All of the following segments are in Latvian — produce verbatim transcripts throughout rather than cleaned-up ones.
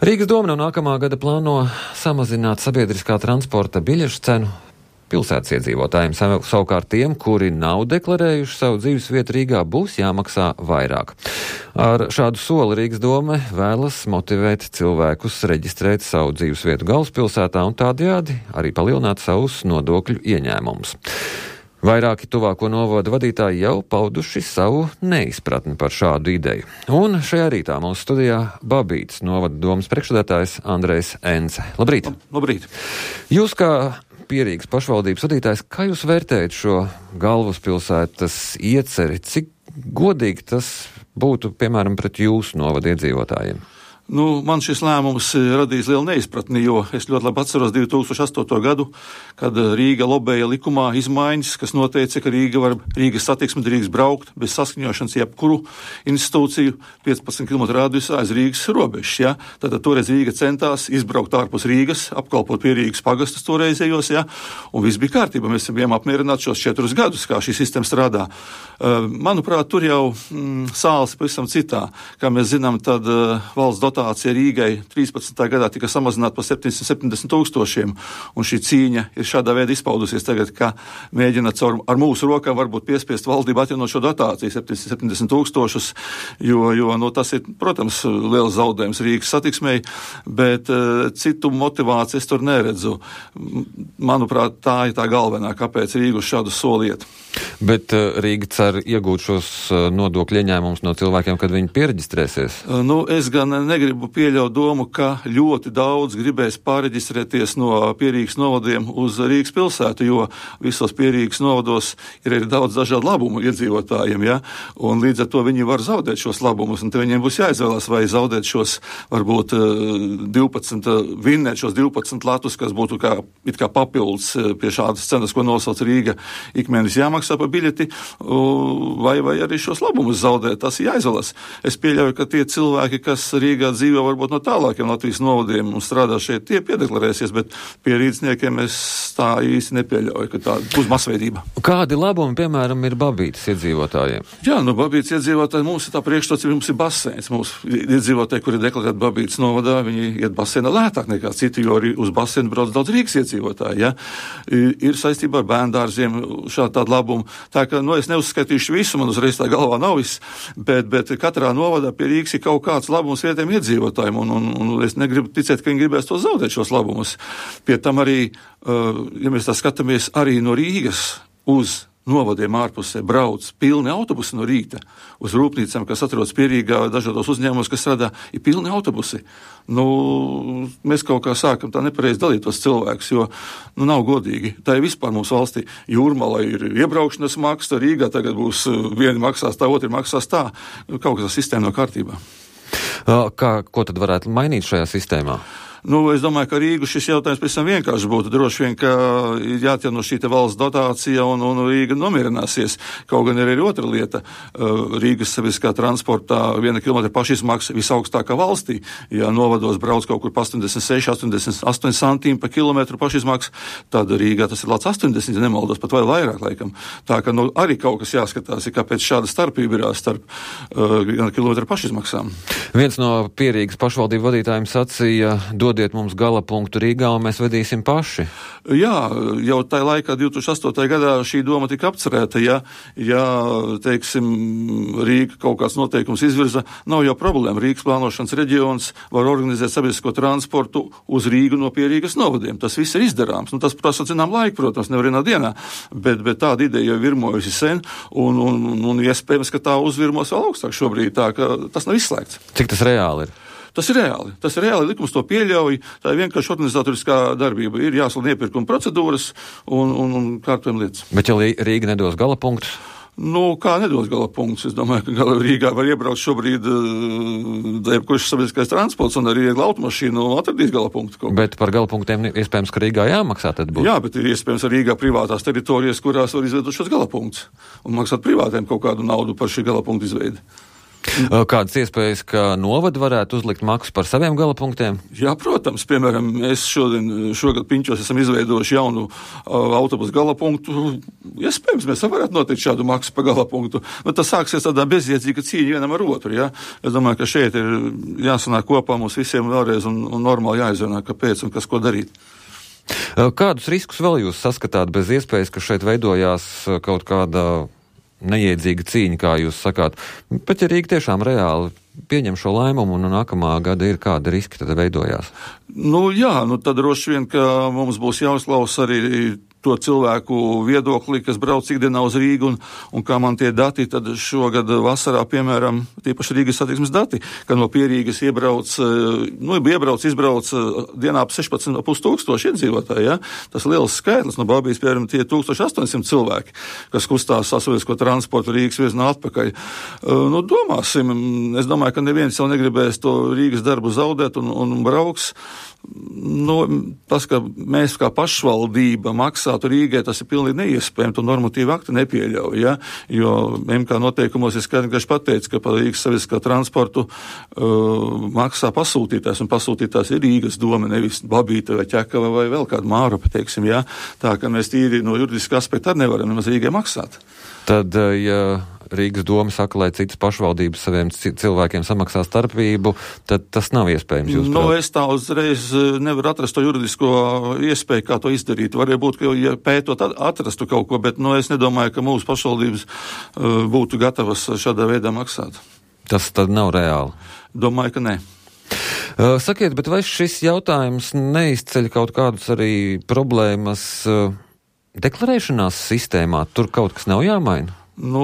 Rīgas doma no nākamā gada plāno samazināt sabiedriskā transporta biļešu cenu pilsētas iedzīvotājiem. Savukārt tiem, kuri nav deklarējuši savu dzīvesvietu Rīgā, būs jāmaksā vairāk. Ar šādu soli Rīgas doma vēlas motivēt cilvēkus reģistrēt savu dzīvesvietu galvaspilsētā un tādējādi arī palielināt savus nodokļu ieņēmumus. Vairāki tuvāko novada vadītāji jau pauduši savu neizpratni par šādu ideju. Un šajā rītā mūsu studijā Babītas novada domas priekšsēdētājs Andrejs Ence. Labrīt! Labrīt! Jūs kā Pierīgas pašvaldības vadītājs, kā jūs vērtējat šo galvaspilsētas ieceri? Cik godīgi tas būtu, piemēram, pret jūsu novada iedzīvotājiem? Nu, man šis lēmums radīs lielu neizpratni, jo es ļoti labi atceros divi tūkstoši astoto gadu, kad Rīga lobēja likumā izmaiņas, kas noteica, ka Rīga var, Rīgas satiksme drīkst braukt bez saskaņošanas jebkuru institūciju piecpadsmit kilometru radiusā aiz Rīgas robežas. Ja? Tātad toreiz Rīga centās izbraukt ārpus Rīgas, apkalpot pie Rīgas pagastus toreizējos, ja? Un viss bija kārtībā. Mēs bijām apmierināti šos četrus gadus, kā šī sistēma strādā. Uh, manuprāt, tur jau mm, sāls pavisam citā. Kā mēs zinām, tad uh, valsts dotācija Rīgai trīspadsmitajā gadā tika samazināta par septiņsimt septiņdesmit tūkstošiem, un šī cīņa ir šādā veidā izpaudusies tagad, ka mēģina caur, ar mūsu rokām varbūt piespiest valdību atjaunot šo dotāciju septiņsimt septiņdesmit tūkstošus, jo, jo no tas ir, protams, liels zaudējums Rīgas satiksmei, bet uh, citu motivāciju es tur neredzu. Manuprāt, tā ir tā galvenā, kāpēc Rīga uz šādu soli iet. Bet uh, Rīga cer iegūt šos uh, nodokļu ieņēmumus no cilvēkiem, kad viņi piereģistrēsies? Uh, nu, es gan negribu pieļaut domu, ka ļoti daudz gribēs pāreģistrēties no Pierīgas novadiem uz Rīgas pilsētu, jo visos Pierīgas novados ir arī daudz dažādu labumu iedzīvotājiem, ja? Un līdz ar to viņi var zaudēt šos labumus, un te viņiem būs jāizvēlās, vai zaudēt šos, varbūt, divpadsmit, vinnēt šos divpadsmit latus, kas būtu kā, it kā papildus pie šādas cenas, ko nosauc Rīga, ikmēnesis jāmaksā par biļeti, vai, vai arī šos labumus zaudēt, tas ir jāizvēlās. Es pieļauju, ka tie cilvēki, kas Rīgā dzīvo varbūt no tālākiem Latvijas novadiem un strādā šeit, tie piedeklarēsies, bet pie rīdzniekiem es tā īsti nepieļauju, ka tā būs masveidība. Kādi labumi, piemēram, ir Babītas iedzīvotājiem? Jā, nu Babītas iedzīvotāji, mums ir tā priekšstats, mums ir baseins. Mums iedzīvotāji, kuri deklarēti Babītas novadā, viņi iet baseinā lētāk nekā citi, jo arī uz baseinu brauc daudz Rīgas iedzīvotāji, ja? Ir saistībā ar bērndārziem šādi tādi labumi. Tā ka, nu, es neuzskaitīšu visu, man uzreiz tā galvā nav viss, bet, bet katrā novadā pie Rīgas ir kaut kāds labums vietējiem iedzīvotājiem, un, un, un es negribu ticēt, ka viņi gribēs to zaudēt šos labumus. Pie tam arī, uh, ja mēs tā skatāmies, arī no Rīgas uz novadiem ārpusē brauc pilni autobusi no rīta uz rūpnīcām, kas atrodas pie Rīgā, dažādos uzņēmumos, kas strādā, ir pilni autobusi. Nu, mēs kaut kā sākam tā nepareizi dalīt tos cilvēkus, jo, nu, nav godīgi. Tā ir vispār mums valstī. Jūrmala ir iebraukšanas maksa, Rīgā tagad būs vieni maksās tā, otri maksās tā. Kaut kas tā sistēma nav kārtībā. Kā, ko tad varētu mainīt šajā sistēmā? Nu, es domāju, ka Rīgu šis jautājums pēc tam vienkārši būtu. Droši vien, ka ir jāatjauno šī te valsts dotācija un, un Rīga nomierināsies. Kaut gan ir arī otra lieta. Rīgas sabiedriskā transportā viena kilometra pašizmaksa visaugstākā valstī. Ja novados brauc kaut kur pa astoņdesmit seši, astoņdesmit astoņi centīmi pa kilometru pašizmaksa, tad Rīgā tas ir lāc astoņdesmit, ja nemaldos, pat vēl vairāk laikam. Tā ka, nu, arī kaut kas jāskatās, ir kāpēc šāda starpība ir starp uh, kilometru pašizmaksām. Viens no Pierīgas pašvaldību vadītājiem sacīja, dodiet mums gala punktu Rīgā un mēs vedīsim paši. Jā, jau tajā laikā, divi tūkstoši astotajā gadā, šī doma tika apcerēta. Ja, ja teiksim, Rīga kaut kāds noteikums izvirza, nav jau problēma. Rīgas plānošanas reģions var organizēt sabiedrisko transportu uz Rīgu no Pierīgas novadiem. Tas viss ir izdarāms. Nu, tas prasa zinām laiku, protams, nevar vienā dienā, bet, bet tāda ideja jau virmojusi sen, un, un, un, un iespējams, ka tā uzvirmos vēl augstāk šobrīd, tā ka tas nav izslēgts. Cik tas reāli ir? Tas ir reāli. Tas ir reāli. Likums to pieļauj. Tā ir vienkārši organizatoriskā darbība. Ir jāslēdz iepirkuma procedūras un, un, un kārtojuma lietas. Bet ja Rīga nedos gala punktus? Nu, kā nedos gala punktus? Es domāju, ka gala Rīgā var iebraukt šobrīd jebkurš sabiedriskais transports un arī viegla automašīna atradīs gala punktu. Bet par gala punktiem iespējams, ka Rīgā jāmaksā tad būs. Jā, bet ir iespējams arī Rīgā privātās teritorijas, kurās var izveidot šos gala punktus un maksāt privātiem kaut kādu naudu par šī gala punktu izveidi. Kādas iespējas, ka novadi varētu uzlikt maksu par saviem galapunktiem? Jā, protams. Piemēram, mēs šodien, šogad Piņķos esam izveidojuši jaunu uh, autobusu galapunktu. Iespējams, mēs varētu noteikt šādu maksu par galapunktu. Nu, tas sāksies tādā bezjēdzīga cīņa vienam ar otru. Ja? Es domāju, ka šeit ir jāsanāk kopā mums visiem vēlreiz un, un normāli jāizrunā, kāpēc un kas ko darīt. Kādus riskus vēl jūs saskatāt bez iespējas, ka šeit veidojās kaut kāda neiedzīga cīņa, kā jūs sakāt? Bet ja Rīga tiešām reāli pieņem šo lēmumu un nākamā gada ir kāda riski tad veidojās? Nu jā, nu tad droši vien, ka mums būs jāuzklausa arī to cilvēku viedokli, kas brauc ikdienā uz Rīgu, un, un kā man tie dati, tad šogad vasarā, piemēram, tīpaši Rīgas satiksmes dati, ka no Pierīgas iebrauc, nu, iebrauc, izbrauc dienā ap sešpadsmit ar pus tūkstoši iedzīvotāji, ja? Tas liels skaitlis, no Babijas, piemēram, tie tūkstoš astoņsimt cilvēki, kas kustās sasavisko transportu Rīgas virzienā atpakaļ. Nu, domāsim, es domāju, ka neviens jau negribēs to Rīgas darbu zaudēt un, un brauks. Nu, tas, ka mēs kā pašvaldība maksātu Rīgai, tas ir pilnīgi neiespējami, to normatīvu aktu nepieļauj, ja? Jo M K noteikumos ir skaidri pateicis, ka par Rīgas sabiedriskā transportu uh, maksā pasūtītājs, un pasūtītājs ir Rīgas doma, nevis Babīta vai Ķekava vai vēl kāda Mārupa, teiksim, ja? Tā, ka mēs tīri no juridiska aspekta arī nevaram nemaz Rīgai maksāt. Tad, ja Rīgas doma saka, lai citas pašvaldības saviem cilvēkiem samaksā starpību, tad tas nav iespējams. Jūs nu, es tā uzreiz nevaru atrast to juridisko iespēju, kā to izdarīt. Varēja būt, ka ja pētot atrastu kaut ko, bet nu, es nedomāju, ka mūsu pašvaldības uh, būtu gatavas šādā veidā maksāt. Tas tad nav reāli? Domāju, ka nē. Uh, sakiet, bet vai šis jautājums neizceļ kaut kādus arī problēmas uh, deklarēšanās sistēmā? Tur kaut kas nav jāmaina? Nu,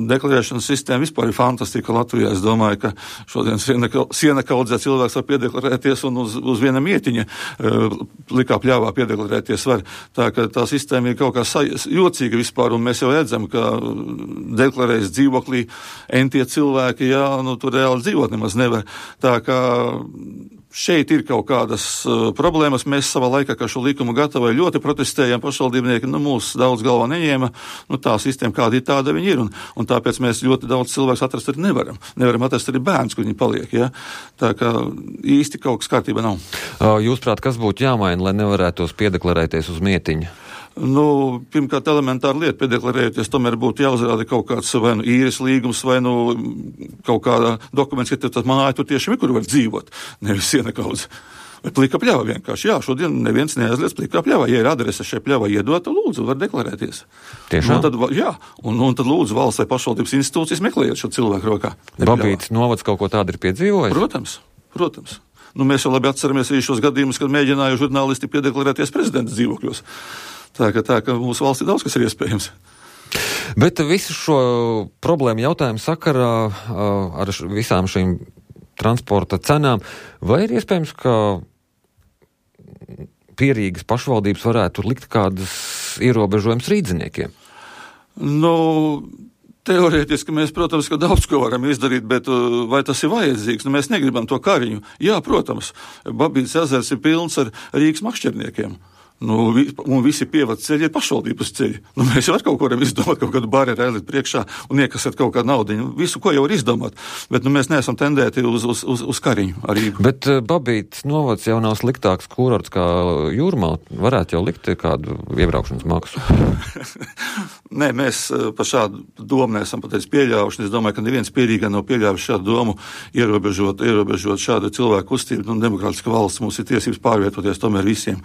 deklarēšanas sistēma vispār ir fantastika Latvijā. Es domāju, ka šodien siena kaudzē cilvēks var piedeklarēties un uz, uz viena mietiņa uh, likā pļāvā piedeklarēties var. Tā ka tā sistēma ir kaut kā sa- jocīga vispār, un mēs jau redzam, ka deklarējas dzīvoklī entie cilvēki, jā, nu tur reāli dzīvot nemaz nevar. Tā kā šeit ir kaut kādas uh, problēmas. Mēs savā laikā, kā šo likumu gatavoja, ļoti protestējām pašvaldībnieki, nu mūs daudz galvā neņēma, nu tā sistēma kāda ir tāda viņi ir, un, un tāpēc mēs ļoti daudz cilvēks atrast arī nevaram. Nevaram atrast arī bērns, kur viņi paliek, ja? Tā kā īsti kaut kas kārtībā nav. Jūsprāt, kas būtu jāmaina, lai nevarētos piedeklarēties uz mietiņa? Nu, pirmkārt, elementāra lieta piedeklarēties, tomēr būtu jāuzrāda kaut kāds vai nu īres līgums, vai nu kaut kāda dokuments, ka tas māja tur tiešām ir, kur var dzīvot, nevis siena kaudze. Vai plika pļava vienkārši. Jā, šodien neviens neaizliedz plika pļava. Ja ir adrese šai pļava iedota, lūdzu, var deklarēties. Tiešām? Nu, tad, jā, un, un tad lūdzu valsts vai pašvaldības institūcijas meklējiet šo cilvēku rokā. Babītas novads kaut ko tādu ir piedzīvojis? Protams, protams. Nu, mēs jau labi atceramies arī šos gadījumus, kad mēģināja žurnālisti piedeklarēties prezidenta dzīvokļos. Tā ka, tā, ka mūsu valstī daudz kas ir iespējams. Bet visu šo problēmu jautājumu sakarā ar visām šīm transporta cenām, vai ir iespējams, ka Pierīgas pašvaldības varētu likt kādas ierobežojumus rīdziniekiem? Nu, teorētiski mēs, protams, ka daudz ko varam izdarīt, bet vai tas ir vajadzīgs? Nu, mēs negribam to kariņu. Jā, protams, Babītas ezers ir pilns ar Rīgas makšķerniekiem. Nu, vi, un visi pievads ceļi ir pašvaldības ceļi. Nu, mēs jau ar kaut ko varam izdomāt, kaut kādu barjeru aiziet priekšā un iekasēt kaut kādu naudiņu. Visu, ko jau var izdomāt. Bet nu, mēs neesam tendēti uz, uz, uz, uz kariņu ar Rīgu. Bet uh, Babītas novads jau nav sliktāks kurorts kā Jūrmala. Varētu jau likt kādu iebraukšanas maksu. Nē, mēs uh, par šādu domu neesam pateicis pieļaujuši. Es domāju, ka neviens Pierīgā nav pieļāvis šādu domu ierobežot, ierobežot šādu cilvēku kustību. Nu, demokrātiska valsts mums ir tiesības pārvietoties tomēr visiem.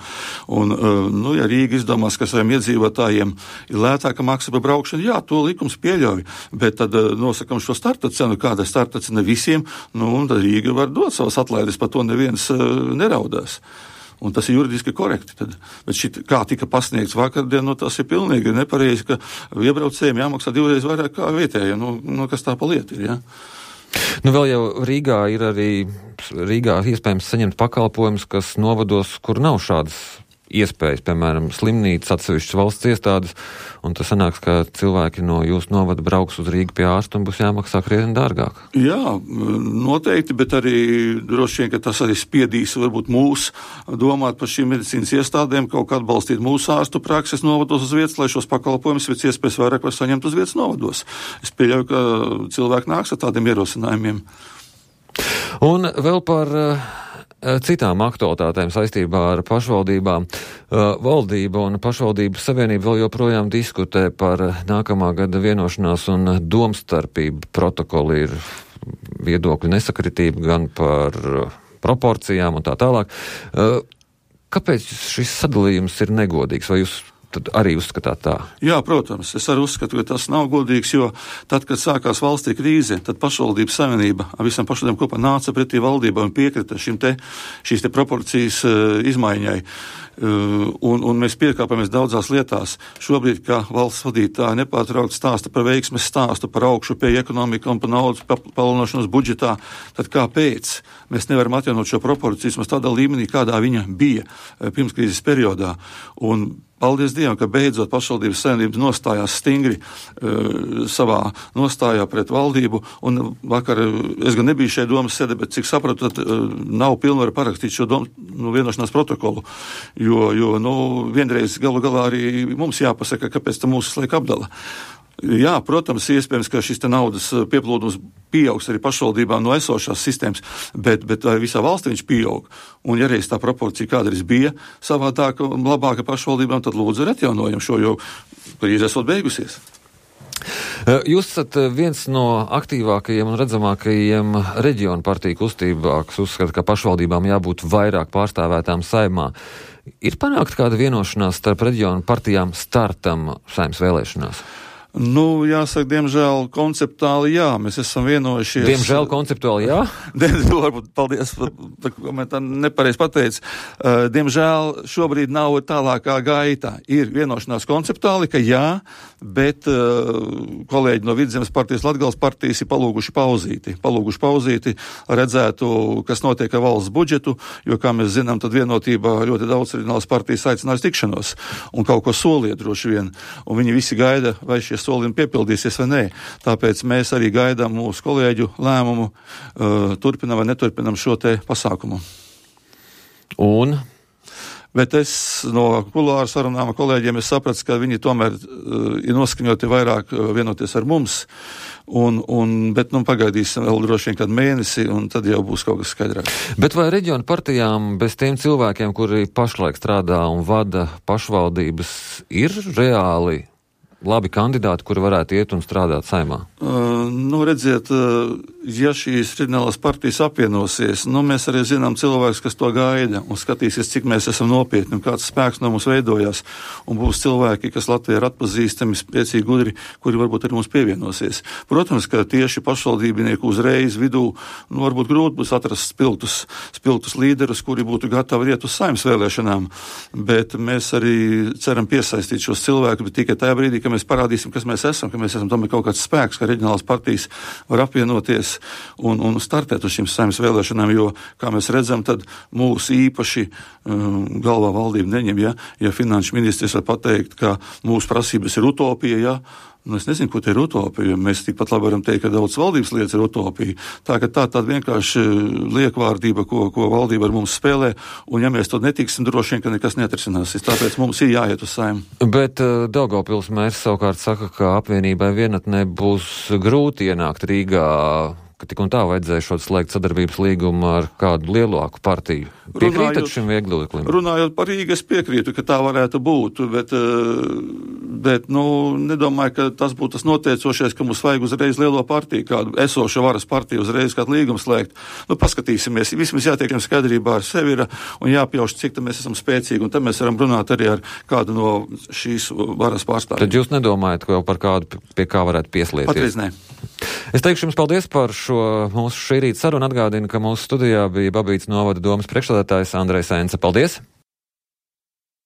Un, nu, ja Rīga izdomās, ka saviem iedzīvotājiem ir lētāka maksa par braukšanu, jā, to likums pieļauj, bet tad nosakam šo starta cenu, kāda ir starta cena visiem, nu, un tad Rīga var dot savas atlaides, par to neviens uh, neraudās. Un tas ir juridiski korekti. Tad. Bet šit, kā tika pasniegts vakardien, nu, tas ir pilnīgi nepareizi, ka iebraucējiem jāmaksā divreiz vairāk kā vietējiem. Nu, nu, kas tā pa lieta ir, jā? Nu, vēl jau Rīgā ir arī Rīgā iespējams saņemt pakalpojumus, kas novados, kur nav šādas iespējas, piemēram, slimnīcas, atsevišķas valsts iestādes, un tas sanāks, ka cilvēki no jūsu novada brauks uz Rīgu pie ārsta un būs jāmaksā krietni dārgāk. Jā, noteikti, bet arī droši vien, ka tas arī spiedīs varbūt mūs domāt par šīm medicīnas iestādēm, kaut kā atbalstīt mūsu ārstu prakses novados uz vietas, lai šos pakalpojumus pēc iespējas vairāk var saņemt uz vietas novados. Es pieļauju, ka cilvēki nāks ar tādiem ierosinājumiem. Un vēl par uh, citām aktualitātēm saistībā ar pašvaldībām. Uh, valdība un pašvaldību savienība vēl joprojām diskutē par nākamā gada vienošanās un domstarpību protokolu. Ir viedokļu nesakritība gan par uh, proporcijām un tā tālāk. Uh, kāpēc šis sadalījums ir negodīgs? Vai jūs tad arī uzskatāt tā? Jā, protams, es arī uzskatu, ka tas nav godīgs, jo tad, kad sākās valstī krīze, tad pašvaldības savienība ar visam pašvaldībām kopā nāca pretī valdībai un piekrita šim te, šīs te proporcijas uh, izmaiņai. Uh, un, un mēs piekāpāmies daudzās lietās. Šobrīd, kā valsts vadītāji nepārtraukti stāsta par veiksmes stāstu, par augšu pie ekonomika un par naudas palielināšanos budžetā, tad kāpēc mēs nevaram atjaunot šo proporcijas mums tādā līmenī, kādā viņa bija uh, pirms krīzes periodā? Un paldies Dievam, ka beidzot pašvaldības savienības nostājās stingri uh, savā nostājā pret valdību, un vakar, es gan nebiju šeit domas sēdē, bet cik sapratu, tad uh, nav pilnvaru parakstīt šo dom, nu, vienošanās protokolu, jo, jo nu, vienreiz galu galā arī mums jāpasaka, kāpēc tam mūsu slaika apdala. Jā, protams, iespējams, ka šis te naudas pieplūdums pieaugs arī pašvaldībām no esošās sistēmas, bet, bet visā valstī viņš pieaug. Un ja reiz tā proporcija kādreiz bija savādāka un labāka pašvaldībām, tad lūdzu ar atjaunojumu šo, jo krīze esot beigusies. Jūs esat viens no aktīvākajiem un redzamākajiem reģionu partiju kustībā, kas uzskata, ka pašvaldībām jābūt vairāk pārstāvētām Saeimā. Ir panākt kāda vienošanās starp reģionu partijām startam Saeimas vēlēšanās? Nu, jāsaka, diemžēl konceptuāli jā, mēs esam vienojušies. Diemžēl konceptuāli jā? Varbūt, paldies, par komentāru nepareiz pateicu. Uh, diemžēl šobrīd nav tālākā gaita. Ir vienošanās konceptuāli, ka jā, bet uh, kolēģi no Vidzemes partijas, Latgales partijas ir palūguši pauzīti. Palūguši pauzīti, redzētu, kas notiek ar valsts budžetu, jo, kā mēs zinām, tad vienotībā ļoti daudz reģionālas partijas aicinās tikšanos un kaut ko soliet droši vien. Un viņi visi gaida, vai šie solījumi piepildīsies vai nē. Tāpēc mēs arī gaidām mūsu kolēģu lēmumu, uh, turpinam vai neturpinam šo te pasākumu. Un? Bet es no kulāru sarunām ar kolēģiem es sapratu, ka viņi tomēr uh, ir noskaņoti vairāk uh, vienoties ar mums, un, un, bet nu pagaidīsim vēl droši vien kādu mēnesi, un tad jau būs kaut kas skaidrāk. Bet vai reģionu partijām bez tiem cilvēkiem, kuri pašlaik strādā un vada pašvaldības, ir reāli labi kandidāti, kuri varētu iet un strādāt Saeimā? Uh, nu, redziet, uh, ja šīs reģionālās partijas apvienosies, nu, mēs arī zinām cilvēks, kas to gaida un skatīsies, cik mēs esam nopietni un kāds spēks no mums veidojās. Un būs cilvēki, kas Latvijā ir atpazīstami, spēcīgi, gudri, kuri varbūt arī mums pievienosies. Protams, ka tieši pašvaldībnieku uzreiz vidū, nu, varbūt grūti būs atrast spilgtus, spilgtus līderus, kuri būtu gatavi iet uz Saeimas vēlēšanām. Bet mēs arī ceram piesaistīt šos cilvēkus, bet tikai tajā brīdī, ka mēs parādīsim, kas mēs esam, ka mēs esam tomēr kaut kāds spēks, ka reģionālās partijas var apvienoties un, un startēt uz šīm Saeimas vēlēšanām, jo, kā mēs redzam, tad mūsu īpaši um, galvā valdība neņem, ja, ja finanšu ministrs var pateikt, ka mūsu prasības ir utopija, ja, nu, es nezinu, ko te ir utopija, mēs tikpat labi varam teikt, ka daudz valdības lietas ir utopija. Tā, ka tā tāda vienkārši liekvārdība, ko, ko valdība ar mums spēlē, un ja mēs to netiksim, droši vien, ka nekas neatrisināsies. Tāpēc mums ir jāiet uz Saimu. Bet uh, Daugavpils mērs savukārt saka, ka apvienībai vienatnē būs grūti ienākt Rīgā, ka tik un tā vajadzēja šo slēgt sadarbības līgumu ar kādu lielāku partiju. Piekrītat šim viegloklim? Runājot par Rīgu, es piekrītu, ka tā varētu būt, bet, bet nu, nedomāju, ka tas būtu tas noteicošais, ka mums vajag uzreiz lielo partiju, kādu esošu varas partiju uzreiz kādu līgumu slēgt. Nu, paskatīsimies, vismaz jātiekam skaidrībā ar sevi ir un jāpjauš, cik tam mēs esam spēcīgi, un tad mēs varam runāt arī ar kādu no šīs varas pārstāvjiem. Tad jūs nedomājat, ka jau par kādu, pie kā varētu pieslieties? Patreiz nē. Es teikšu jums paldies par šo mūsu šī rīta sarunu. Atgādinu, ka mūsu studijā bija Babītas novada domas priekšsēdētājs Andrejs Ence. Paldies!